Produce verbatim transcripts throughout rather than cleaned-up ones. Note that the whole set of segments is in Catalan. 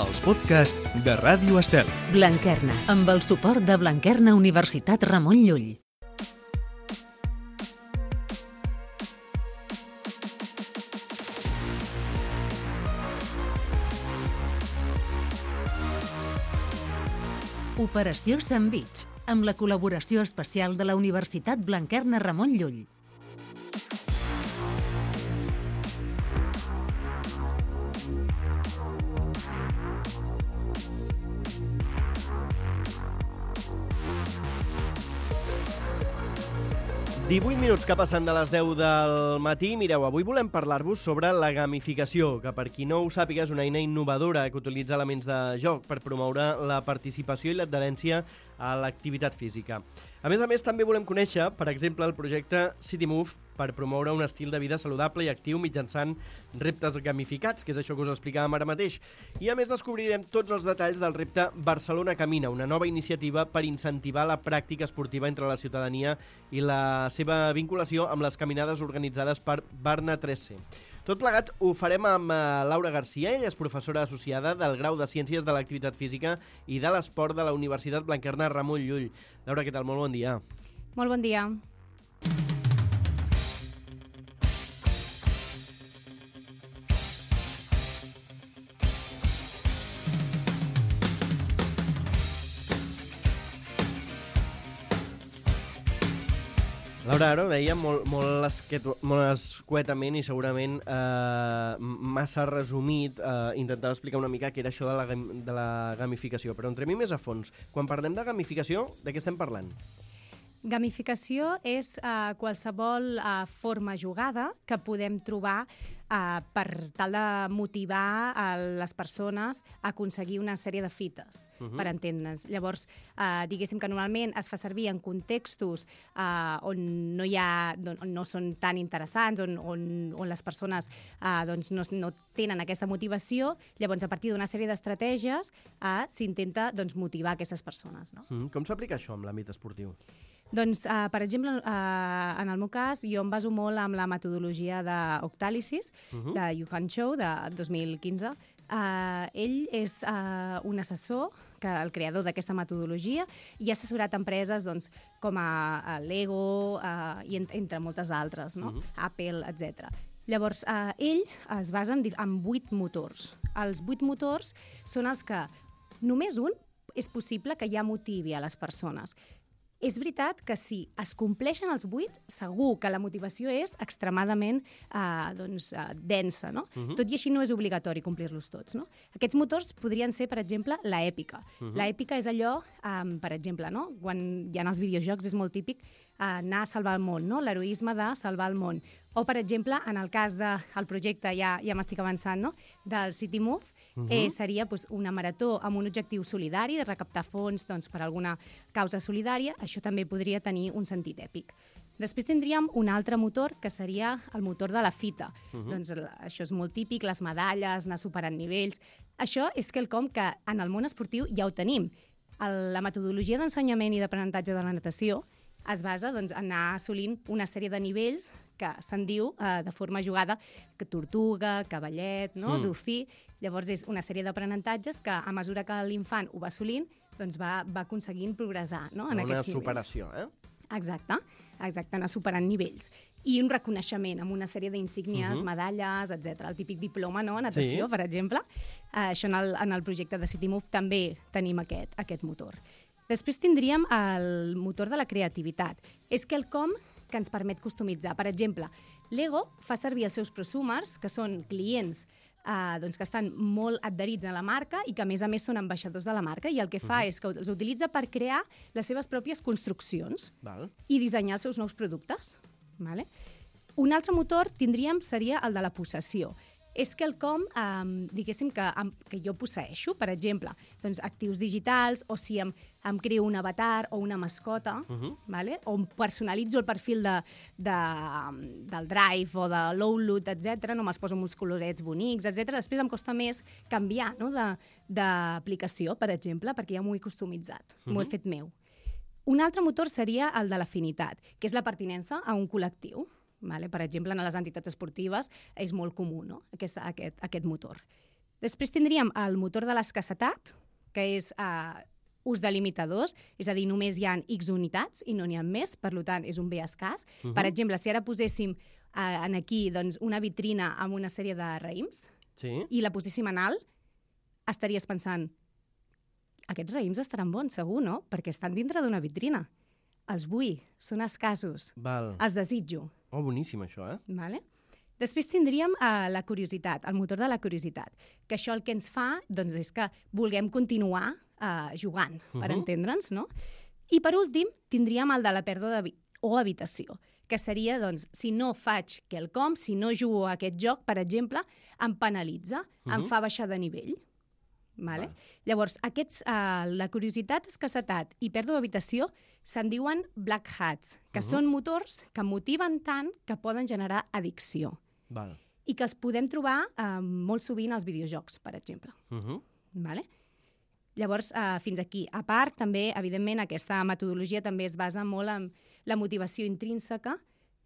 els podcasts de Ràdio Estel. Blanquerna, amb el suport de Blanquerna Universitat Ramon Llull. Operació Sandvich, amb la col·laboració especial de la Universitat Blanquerna Ramon Llull. divuit minuts que passen de les deu del matí. Mireu, avui volem parlar-vos sobre la gamificació, que per qui no ho sàpiga és una eina innovadora que utilitza elements de joc per promoure la participació i l'adherència a l'activitat física. A més a més, també volem conèixer, per exemple, el projecte CityMove per promoure un estil de vida saludable i actiu mitjançant reptes gamificats, que és això que us explicàvem ara mateix. I a més descobrirem tots els detalls del repte Barcelona Camina, una nova iniciativa per incentivar la pràctica esportiva entre la ciutadania i la seva vinculació amb les caminades organitzades per Barna tres C. Tot plegat ho farem amb Laura Garcia, ella és professora associada del Grau de Ciències de l'Activitat Física i de l'Esport de la Universitat Blanquerna Ramon Llull. Laura, què tal? Molt bon dia. Molt bon dia. Laura, ara ho deia molt, molt, esquet, molt escuetament i segurament eh, massa resumit, eh, intentar explicar una mica què era això de la, de la gamificació, però entrem més a fons. Quan parlem de gamificació, de què estem parlant? Gamificació és uh, qualsevol uh, forma jugada que podem trobar uh, per tal de motivar uh, les persones a aconseguir una sèrie de fites, uh-huh. per entendre'ns. Llavors, uh, diguéssim que normalment es fa servir en contextos uh, on no hi ha, on no són tan interessants, on, on, on les persones uh, doncs no, no tenen aquesta motivació. Llavors, a partir d'una sèrie d'estratègies, uh, s'intenta doncs, motivar aquestes persones. No? Mm, com s'aplica això en l'àmbit esportiu? Doncs, uh, per exemple, uh, en el meu cas, jo em baso molt amb la metodologia d'Octalysis, uh-huh. de Johan Chow, de dos mil quinze. Uh, ell és uh, un assessor, que, el creador d'aquesta metodologia, i ha assessorat empreses doncs, com a, a Lego uh, i en, entre moltes altres, no? uh-huh. Apple, etcètera. Llavors, uh, ell es basa en, en vuit motors. Els vuit motors són els que només un és possible que ja motivi a les persones. És veritat que si es compleixen els vuit, segur que la motivació és extremadament eh, doncs, eh, densa, no? Uh-huh. Tot i així no és obligatori complir-los tots, no? Aquests motors podrien ser, per exemple, l'èpica. Uh-huh. L'èpica és allò, eh, per exemple, no? Quan hi ha els videojocs és molt típic eh, anar a salvar el món, no? L'heroisme de salvar el món. O, per exemple, en el cas del projecte, ja, ja m'estic avançant, no? Del CityMove, Uh-huh. eh, seria doncs, una marató amb un objectiu solidari, de recaptar fons doncs, per alguna causa solidària. Això també podria tenir un sentit èpic. Després tindríem un altre motor, que seria el motor de la fita. Uh-huh. Doncs, això és molt típic, les medalles, anar superant nivells. Això és quelcom que en el món esportiu ja ho tenim. El, la metodologia d'ensenyament i d'aprenentatge de la natació es basa doncs, en anar assolint una sèrie de nivells que se'n diu eh, de forma jugada que tortuga, cavallet, no? Mm. Dofí. Llavors és una sèrie d'aprenentatges que a mesura que l'infant ho va assolint doncs va, va aconseguint progressar, no? En una aquests nivells. superació, eh? Exacte, exacte, anar superant nivells. I un reconeixement amb una sèrie d'insígnies, uh-huh. medalles, etcètera. El típic diploma, no?, a natació, sí. per exemple. Uh, això en el, en el projecte de CityMove també tenim aquest, aquest motor. Després tindríem el motor de la creativitat. És quelcom que ens permet customitzar. Per exemple, Lego fa servir els seus prosumers, que són clients eh, doncs que estan molt adherits a la marca i que, a més a més, són ambaixadors de la marca, i el que fa uh-huh. és que els utilitza per crear les seves pròpies construccions Val. i dissenyar els seus nous productes. Vale? Un altre motor tindríem seria el de la possessió. És quelcom, eh, diguéssim, que, que jo posseeixo, per exemple, doncs, actius digitals, o si em, em creo un avatar o una mascota, uh-huh. vale? O em personalitzo el perfil de, de, del Drive o de l'Outlook, etcètera, no me'ls poso amb uns colorets bonics, etcètera. Després em costa més canviar, no?, d'aplicació, per exemple, perquè ja m'ho he customitzat, uh-huh. m'ho he fet meu. Un altre motor seria el de l'afinitat, que és la pertinença a un col·lectiu. Vale? Per exemple, en les entitats esportives és molt comú, no?, aquest, aquest, aquest motor. Després tindríem el motor de l'escassetat, que és uh, ús de limitadors, és a dir, només hi ha X unitats i no n'hi ha més, per tant, és un bé escàs. Uh -huh. Per exemple, si ara poséssim uh, en aquí doncs, una vitrina amb una sèrie de raïms sí. i la poséssim en alt, estaries pensant, aquests raïms estaran bons, segur, no? Perquè estan dintre d'una vitrina. Els vull, són escassos, Val. els desitjo. Oh, boníssim, això, eh? Vale? Després tindríem uh, la curiositat, el motor de la curiositat, que això el que ens fa doncs, és que vulguem continuar uh, jugant, per uh -huh. entendre'ns, no? I per últim, tindríem el de la pèrdua de o habitació, que seria, doncs, si no faig quelcom, si no jugo a aquest joc, per exemple, em penalitza, uh -huh. em fa baixar de nivell. Vale? Val. Llavors, aquests, uh, la curiositat, escassetat i pèrdua d'habitació se'n diuen black hats, que uh -huh. són motors que motiven tant que poden generar addicció. Val. I que els podem trobar uh, molt sovint als videojocs, per exemple. Uh -huh. Vale? Llavors, uh, fins aquí. A part, també, evidentment, aquesta metodologia també es basa molt en la motivació intrínseca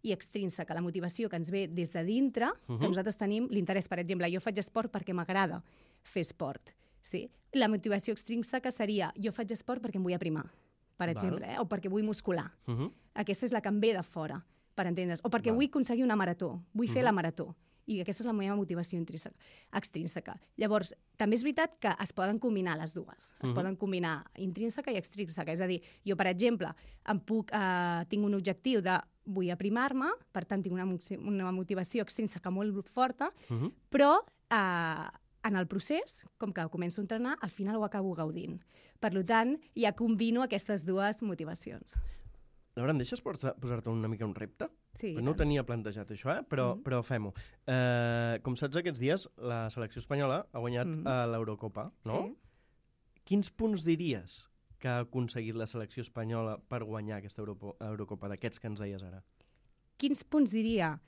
i extrínseca, la motivació que ens ve des de dintre, uh -huh. que nosaltres tenim l'interès. Per exemple, jo faig esport perquè m'agrada fer esport. Sí? La motivació extrínseca seria jo faig esport perquè em vull aprimar, per Val. exemple, eh? o perquè vull muscular. Uh -huh. Aquesta és la que em ve de fora, per entendre's. O perquè Val. vull aconseguir una marató, vull Uh -huh. fer la marató. I aquesta és la meva motivació intrínseca, extrínseca. Llavors, també és veritat que es poden combinar les dues. Es Uh -huh. poden combinar intrínseca i extrínseca. És a dir, jo, per exemple, em puc, eh, tinc un objectiu de vull aprimar-me, per tant, tinc una, una motivació extrínseca molt forta, Uh -huh. però eh, en el procés, com que començo a entrenar, al final ho acabo gaudint. Per tant, ja combino aquestes dues motivacions. Laura, em deixes posar-te una mica un repte? Sí, No ho tenia plantejat, això, eh? però, Mm. però fem-ho. Eh, com saps, aquests dies la selecció espanyola ha guanyat Mm. a l'Eurocopa, no? Sí. Quins punts diries que ha aconseguit la selecció espanyola per guanyar aquesta Europo Eurocopa, d'aquests que ens deies ara? Quins punts diria?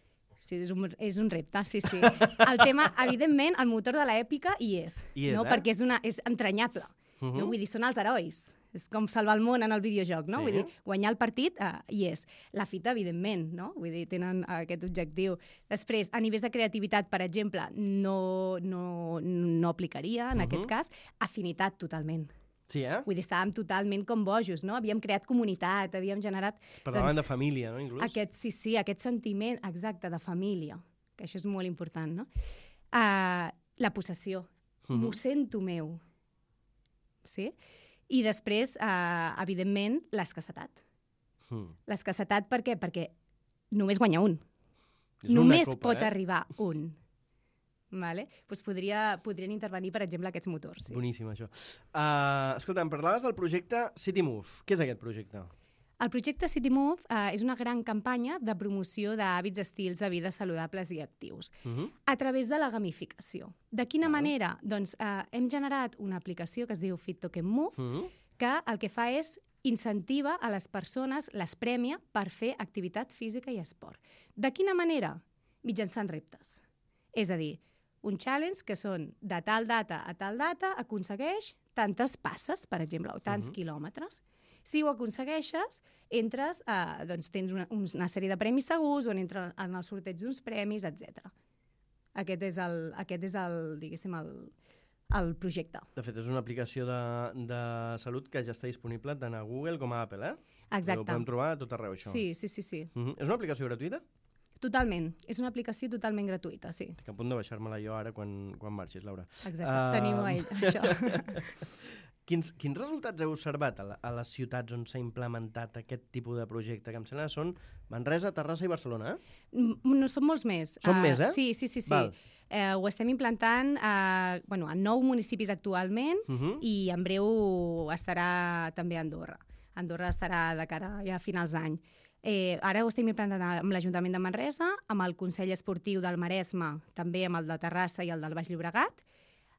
Sí, és un, és un repte, sí, sí. El tema, evidentment, el motor de l'èpica hi és, Hi és, no? eh? Perquè és, una, és entranyable. Uh -huh. No? Vull dir, són els herois. És com salvar el món en el videojoc, no? Sí. Vull dir, guanyar el partit uh, hi és. La fita, evidentment, no? Vull dir, tenen uh, aquest objectiu. Després, a nivells de creativitat, per exemple, no, no, no aplicaria, en uh -huh. aquest cas. Afinitat, totalment. Sí, eh? Vull dir, estàvem totalment com bojos, no? Havíem creat comunitat, havíem generat... Parlaven de família, no, inclús? Aquest, sí, sí, aquest sentiment exacte de família, que això és molt important, no? Uh, la possessió. Uh -huh. M'ho sento meu. Sí? I després, uh, evidentment, l'escassetat. Mm. L'escassetat per què? Perquè només guanya un. És una Només copa, pot eh? arribar un. Vale? Pues podria, podrien intervenir, per exemple, aquests motors. Sí. Boníssim, això. Uh, escolta, em parlaves del projecte City Move. Què és aquest projecte? El projecte City Move eh, és una gran campanya de promoció d'hàbits estils de vida saludables i actius Uh -huh. a través de la gamificació. De quina Val. manera? Doncs eh, hem generat una aplicació que es diu Fit Token Move, Uh -huh. que el que fa és incentiva a les persones, les premia per fer activitat física i esport. De quina manera? Mitjançant reptes. És a dir, un challenge que són de tal data a tal data aconsegueix tantes passes, per exemple, o tants uh -huh. quilòmetres. Si ho aconsegueixes, entres, eh, doncs tens una, una sèrie de premis segurs, on entres en el sorteig d'uns premis, etcètera. Aquest és el, aquest és el, diguéssim, el, el projecte. De fet, és una aplicació de, de salut que ja està disponible tant a Google com a Apple, eh? Exacte. Ho podem trobar a tot arreu, això. Sí, sí, sí, sí. Uh -huh. És una aplicació gratuïta? Totalment. És una aplicació totalment gratuïta, sí. Estic a punt de baixar-me-la jo ara quan, quan marxis, Laura. Exacte. Uh... Tenim ell, això. Quins, quins resultats heu observat a, la, a les ciutats on s'ha implementat aquest tipus de projecte? Que em sembla que són Manresa, Terrassa i Barcelona, eh? No, són molts més. Són uh, més, eh? Sí, sí, sí. sí. Val. Uh, ho estem implantant uh, bueno, en nou municipis actualment Uh -huh. i en breu estarà també a Andorra. Andorra estarà de cara ja a finals d'any. Eh, ara ho estem implantant amb l'Ajuntament de Manresa, amb el Consell Esportiu del Maresme, també amb el de Terrassa i el del Baix Llobregat,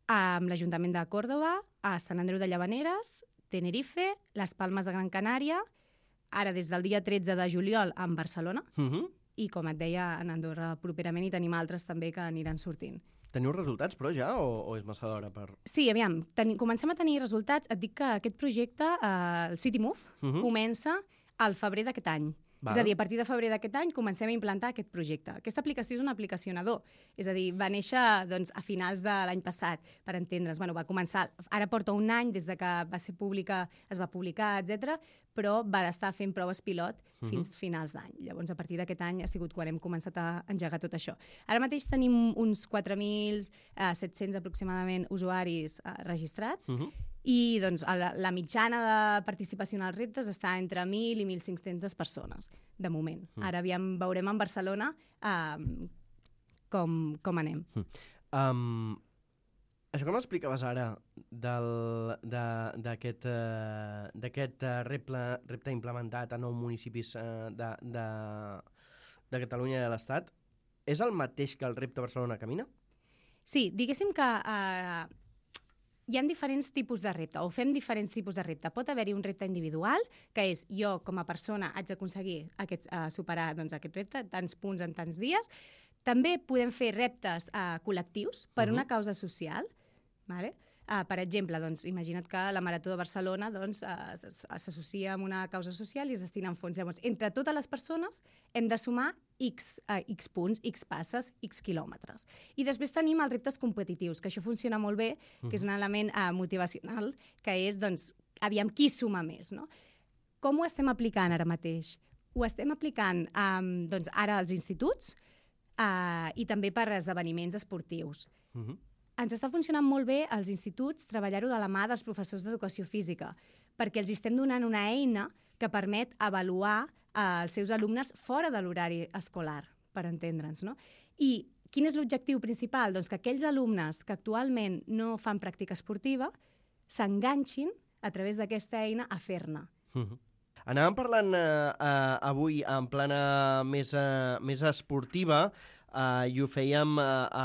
amb l'Ajuntament de Còrdova, a Sant Andreu de Llavaneres, Tenerife, les Palmes de Gran Canària, ara des del dia tretze de juliol en Barcelona, Uh -huh. i com et deia, en Andorra properament, i tenim altres també que aniran sortint. Teniu resultats, però, ja, o, o és massa d'hora per...? Sí, aviam, teni, comencem a tenir resultats. Et dic que aquest projecte, eh, el City Move, Uh -huh. comença al febrer d'aquest any. Val. És a dir, a partir de febrer d'aquest any comencem a implantar aquest projecte. Aquesta aplicació és una aplicació nadó. És a dir, va néixer doncs, a finals de l'any passat, per entendre's. Bueno, va començar, ara porta un any des de que va ser pública, es va publicar, etcètera, però va estar fent proves pilot fins uh-huh. finals d'any. Llavors, a partir d'aquest any ha sigut quan hem començat a engegar tot això. Ara mateix tenim uns quatre mil set-cents aproximadament usuaris eh, registrats, uh-huh. i doncs, la, la mitjana de participació en els reptes està entre mil i mil cinc-centes persones, de moment. Mm. Ara aviam, veurem en Barcelona um, com, com anem. Mm. Um, això que m'explicaves ara d'aquest uh, uh, repte, repte implementat a nou municipis uh, de, de, de Catalunya i de l'Estat, és el mateix que el repte Barcelona Camina? Sí, diguéssim que... Uh, hi ha diferents tipus de repte, o fem diferents tipus de repte. Pot haver-hi un repte individual, que és jo, com a persona, haig d'aconseguir aquest, uh, superar doncs, aquest repte, tants punts en tants dies. També podem fer reptes uh, col·lectius per uh-huh. una causa social. Vale? Uh, per exemple, doncs, imagina't que la Marató de Barcelona doncs, uh, s'associa amb una causa social i es destinen fons. Llavors, entre totes les persones hem de sumar X, uh, X punts, X passes, X quilòmetres. I després tenim els reptes competitius, que això funciona molt bé, uh-huh. que és un element uh, motivacional, que és, doncs, aviam qui suma més, no? Com ho estem aplicant ara mateix? Ho estem aplicant um, doncs, ara als instituts uh, i també per esdeveniments esportius. Uh-huh. Ens està funcionant molt bé als instituts treballar-ho de la mà dels professors d'educació física, perquè els estem donant una eina que permet avaluar eh, els seus alumnes fora de l'horari escolar, per entendre'ns, no? I quin és l'objectiu principal? Doncs que aquells alumnes que actualment no fan pràctica esportiva s'enganxin a través d'aquesta eina a fer-ne. Uh-huh. Anàvem parlant eh, eh, avui en plana més, eh, més esportiva, Uh, i ho fèiem uh, a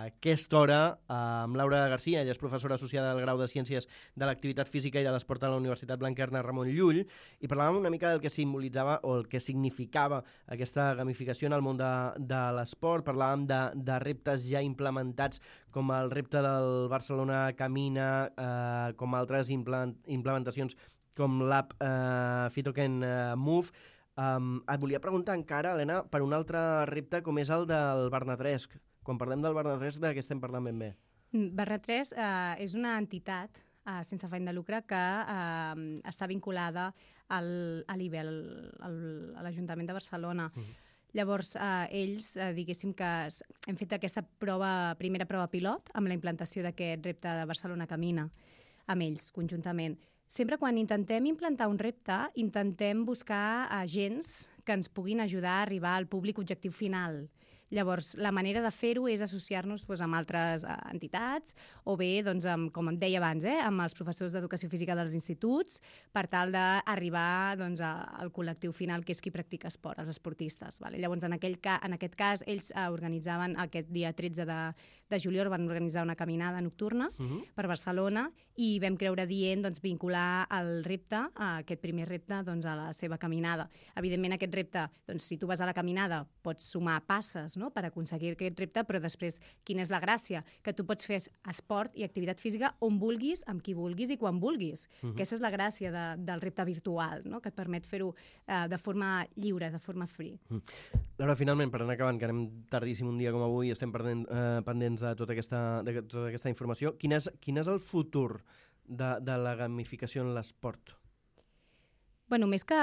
aquesta hora uh, amb Laura Garcia, ella és professora associada del grau de Ciències de l'Activitat Física i de l'Esport a la Universitat Blanquerna Ramon Llull, i parlàvem una mica del que simbolitzava o el que significava aquesta gamificació en el món de, de l'esport. Parlàvem de, de reptes ja implementats com el repte del Barcelona Camina, uh, com altres implement, implementacions com l'app uh, Fitoken uh, Move. Um, et volia preguntar encara, Helena, per un altre repte com és el del Barnatresc. Quan parlem del Barnatresc, de què estem parlant ben bé? Barnatresc eh, és una entitat eh, sense afany de lucre que eh, està vinculada al, a l'I B E, al, a l'Ajuntament de Barcelona. Uh-huh. Llavors, eh, ells, eh, diguéssim que hem fet aquesta prova, primera prova pilot amb la implantació d'aquest repte de Barcelona Camina, amb ells, conjuntament. Sempre quan intentem implantar un repte, intentem buscar agents que ens puguin ajudar a arribar al públic objectiu final. Llavors, la manera de fer-ho és associar-nos doncs, amb altres uh, entitats o bé, doncs, amb, com et deia abans, eh, amb els professors d'educació física dels instituts per tal d'arribar doncs, a, al col·lectiu final, que és qui practica esport, els esportistes. Vale? Llavors, en, aquell ca en aquest cas, ells uh, organitzaven aquest dia tretze de, de juliol, van organitzar una caminada nocturna uh-huh. per Barcelona i vam creure dient doncs, vincular el repte, uh, aquest primer repte, doncs, a la seva caminada. Evidentment, aquest repte, doncs, si tu vas a la caminada, pots sumar passes, no? Per aconseguir aquest repte, però després, quina és la gràcia? Que tu pots fer esport i activitat física on vulguis, amb qui vulguis i quan vulguis. Uh-huh. Aquesta és la gràcia de, del repte virtual, no? Que et permet fer-ho uh, de forma lliure, de forma free. Uh-huh. Laura, finalment, per anar acabant, que anem tardíssim un dia com avui, estem perdent, uh, pendents de tota aquesta, de tota aquesta informació, quin és, quin és el futur de, de la gamificació en l'esport? Bueno, més que...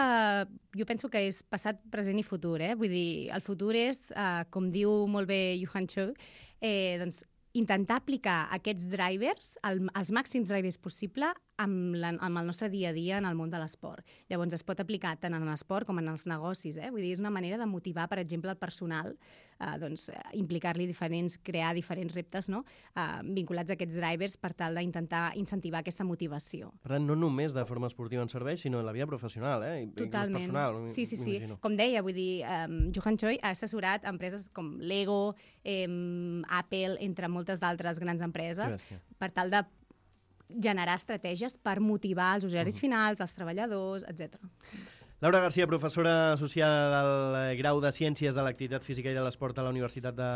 Jo penso que és passat, present i futur, eh? Vull dir, el futur és, eh, com diu molt bé Johan Cho, eh, doncs, intentar aplicar aquests drivers, el, els màxims drivers possible, amb, la, amb el nostre dia a dia en el món de l'esport. Llavors, es pot aplicar tant en l'esport com en els negocis, eh? Vull dir, és una manera de motivar, per exemple, el personal, eh, doncs, implicar-li diferents, crear diferents reptes, no? Eh, vinculats a aquests drivers per tal d'intentar incentivar aquesta motivació. Per tant, no només de forma esportiva en serveix, sinó en la vida professional, eh? Totalment. Personal, sí, sí, sí. Com deia, vull dir, um, Johan Choi ha assessorat empreses com Lego, eh, Apple, entre moltes d'altres grans empreses, per tal de generar estratègies per motivar els usuaris uh-huh. finals, els treballadors, etcètera. Laura Garcia, professora associada del grau de Ciències de l'Activitat Física i de l'Esport a la Universitat de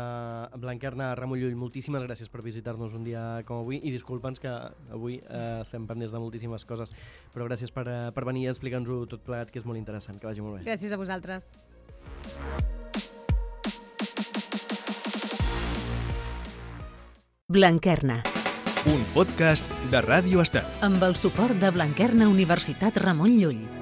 Blanquerna, Ramon Llull, moltíssimes gràcies per visitar-nos un dia com avui i disculpa'ns que avui eh, estem pendents de moltíssimes coses, però gràcies per, eh, per venir a explicar-nos-ho tot plegat, que és molt interessant. Que vagi molt bé. Gràcies a vosaltres. Blanquerna, un podcast de Ràdio Estel. amb el suport de Blanquerna Universitat Ramon Llull.